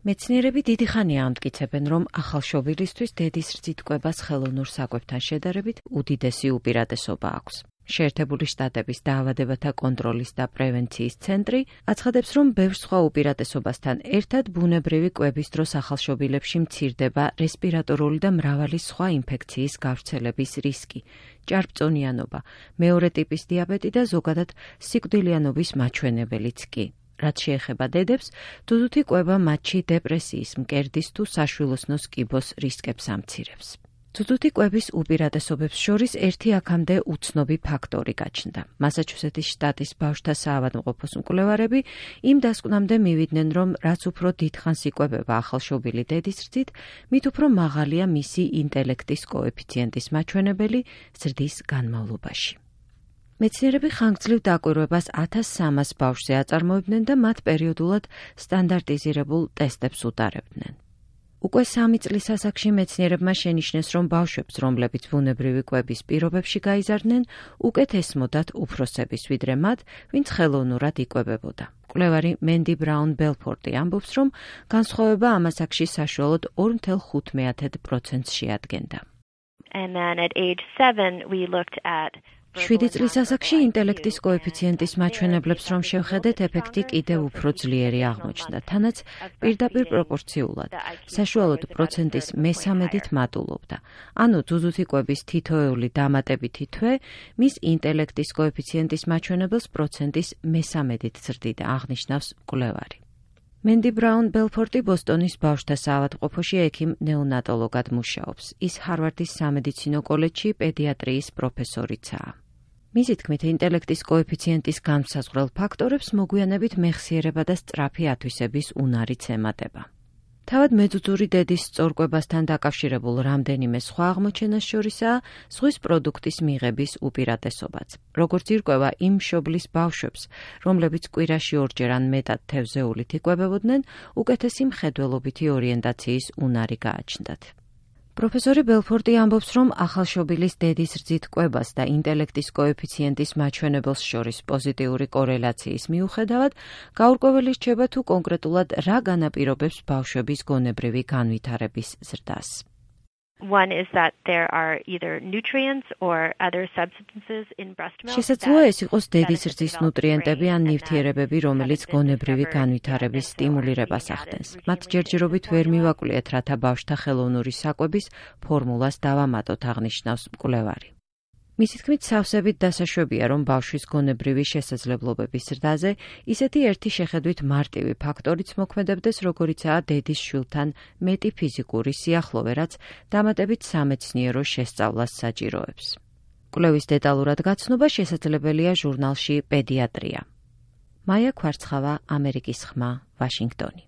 მეცნიერები დიდი ხანია ამტკიცებენ, რომ ახალშობილისთვის დედის რძით კვებას ხელოვნურ საკვებთან შედარებით უდიდესი უპირატესობა აქვს. შეერთებული შტატების დაავადებათა კონტროლის და პრევენციის ცენტრი აცხადებს, რომ ბევრ სხვა უპირატესობასთან ერთად ბუნებრივი კვების დროს ახალშობილებში მცირდება რესპირატორული და მრავალი სხვა ინფექციის გავრცელების რისკი, ჭარბწონიანობა, მეორე ტიპის დიაბეტი და ზოგადად სიკვდილიანობის მაჩვენებელიც კი. რაც შეეხება დედებს, დუდუთი კვება მათში დეპრესიის, მკერდის თუ საშვილოსნოს კიბოს რისკებს ამცირებს. დუდუთი კვების უპირატესობებს შორის ერთი აქამდე უცნობი ფაქტორი გაჩნდა. მასაჩუსეტის შტატის ბავშვთა საავადმყოფოს მკვლევარები იმ დასკვნამდე მივიდნენ, რომ რაც უფრო დიდხანს იკვებება ახალშობილი დედის რძით, მით უფრო მაღალია მისი ინტელექტის კოეფიციენტის მაჩვენებელი ზრდის განმავლობაში. მეცნიერები ხანგრძლივ დაკვირვებას 1300 ბავშვზე აწარმოებდნენ და მათ პერიოდულად სტანდარტიზირებულ ტესტებს უტარებდნენ. უკვე 3 წლის ასაკში მეცნიერებმა შენიშნეს, რომ ბავშვებს, რომლებიც ბუნებრივი კვების პირობებში გაიზარდნენ, უკეთ ესმოდათ უფროსების, ვიდრე მათ, ვინც ხელოვნურად იკვებებოდა. მკვლევარი მენდი ბრაუნ ბელფორტი ამბობს, რომ განსხვავება ამ ასაკში საშუალოდ 2.5% შეადგენდა. And then at age 7 we looked at 7 წლის ასაკში ინტელექტის კოეფიციენტის მაჩვენებლებს რომ შევხედეთ, ეფექტი კიდევ უფრო ძლიერი აღმოჩნდა, თანაც პირდაპირ პროპორციულად, საშუალოდ პროცენტის მე-13-ით მატულობდა. ანუ დუდუთი კვების თითოეული დამატებითი თვე მის ინტელექტის კოეფიციენტის მაჩვენებელს პროცენტის მე-13-ით ზრდიდა, აღნიშნავს მკვლევარი. მენდი ბრაუნ ბელფორტი ბოსტონის ბავშვთა საავადმყოფოში ექიმ ნეონატოლოგად მუშაობს. ის ჰარვარდის სამედიცინო კოლეჯში პედიატრიის პროფესორიცაა. მისი თქმით, ინტელექტის კოეფიციენტის განმსაზღვრელ ფაქტორებს მოგვიანებით მეხსიერება და სწრაფი ათვისების უნარიც ემატება. თავად მეძუძური დედის სწორკვებასთან დაკავშირებულ რამდენიმე სხვა აღმოჩენას შორისაა ზღვის პროდუქტის მიღების უპირატესობაც. როგორც ირკვევა იმ მშობლის ბავშვებს, რომლებიც კვირაში ორჯერ ან მეტად თევზეულით იკვებებოდნენ, უკეთესი მხედველობითი ორიენტაციის უნარი გააჩნდათ. პროფესორი ბელფორტი ამბობს, რომ ახალშობილის დედის რძით კვებას და ინტელექტის კოეფიციენტის მაჩვენებელს შორის პოზიტიური კორელაციის მიუხედავად, გაურკვეველი რჩება თუ კონკრეტულად რა განაპირობებს ბავშვების გონებრივი განვითარების ზრდას. One is that there are either nutrients or other substances in breast milk. შესაძლოა ეს იყოს დედის რძის ნუტრიენტები ან ნივთიერებები, რომელიც გონებრივი განვითარების სტიმულირებას ახდენს. მათ ჯერჯერობით ვერ მივაკვლიეთ, რათა ბავშვთა ხელოვნური საკვების ფორმულას დავამატოთ, აღნიშნავს მკვლევარი. მისი თქმით, სავსებით დასაშვებია, რომ ბავშვის გონებრივი შესაძლებლობების ზრდაზე ისეთი ერთი შეხედვით მარტივი ფაქტორიც მოქმედებდეს, როგორიცაა დედის შვილთან მეტი ფიზიკური სიახლოვე, რაც დამატებით სამეცნიერო შესწავლას საჭიროებს. კვლევის დეტალურად გაცნობა შესაძლებელია ჟურნალში პედიატრია. მაია ქვარცხავა, ამერიკის ხმა, ვაშინგტონი.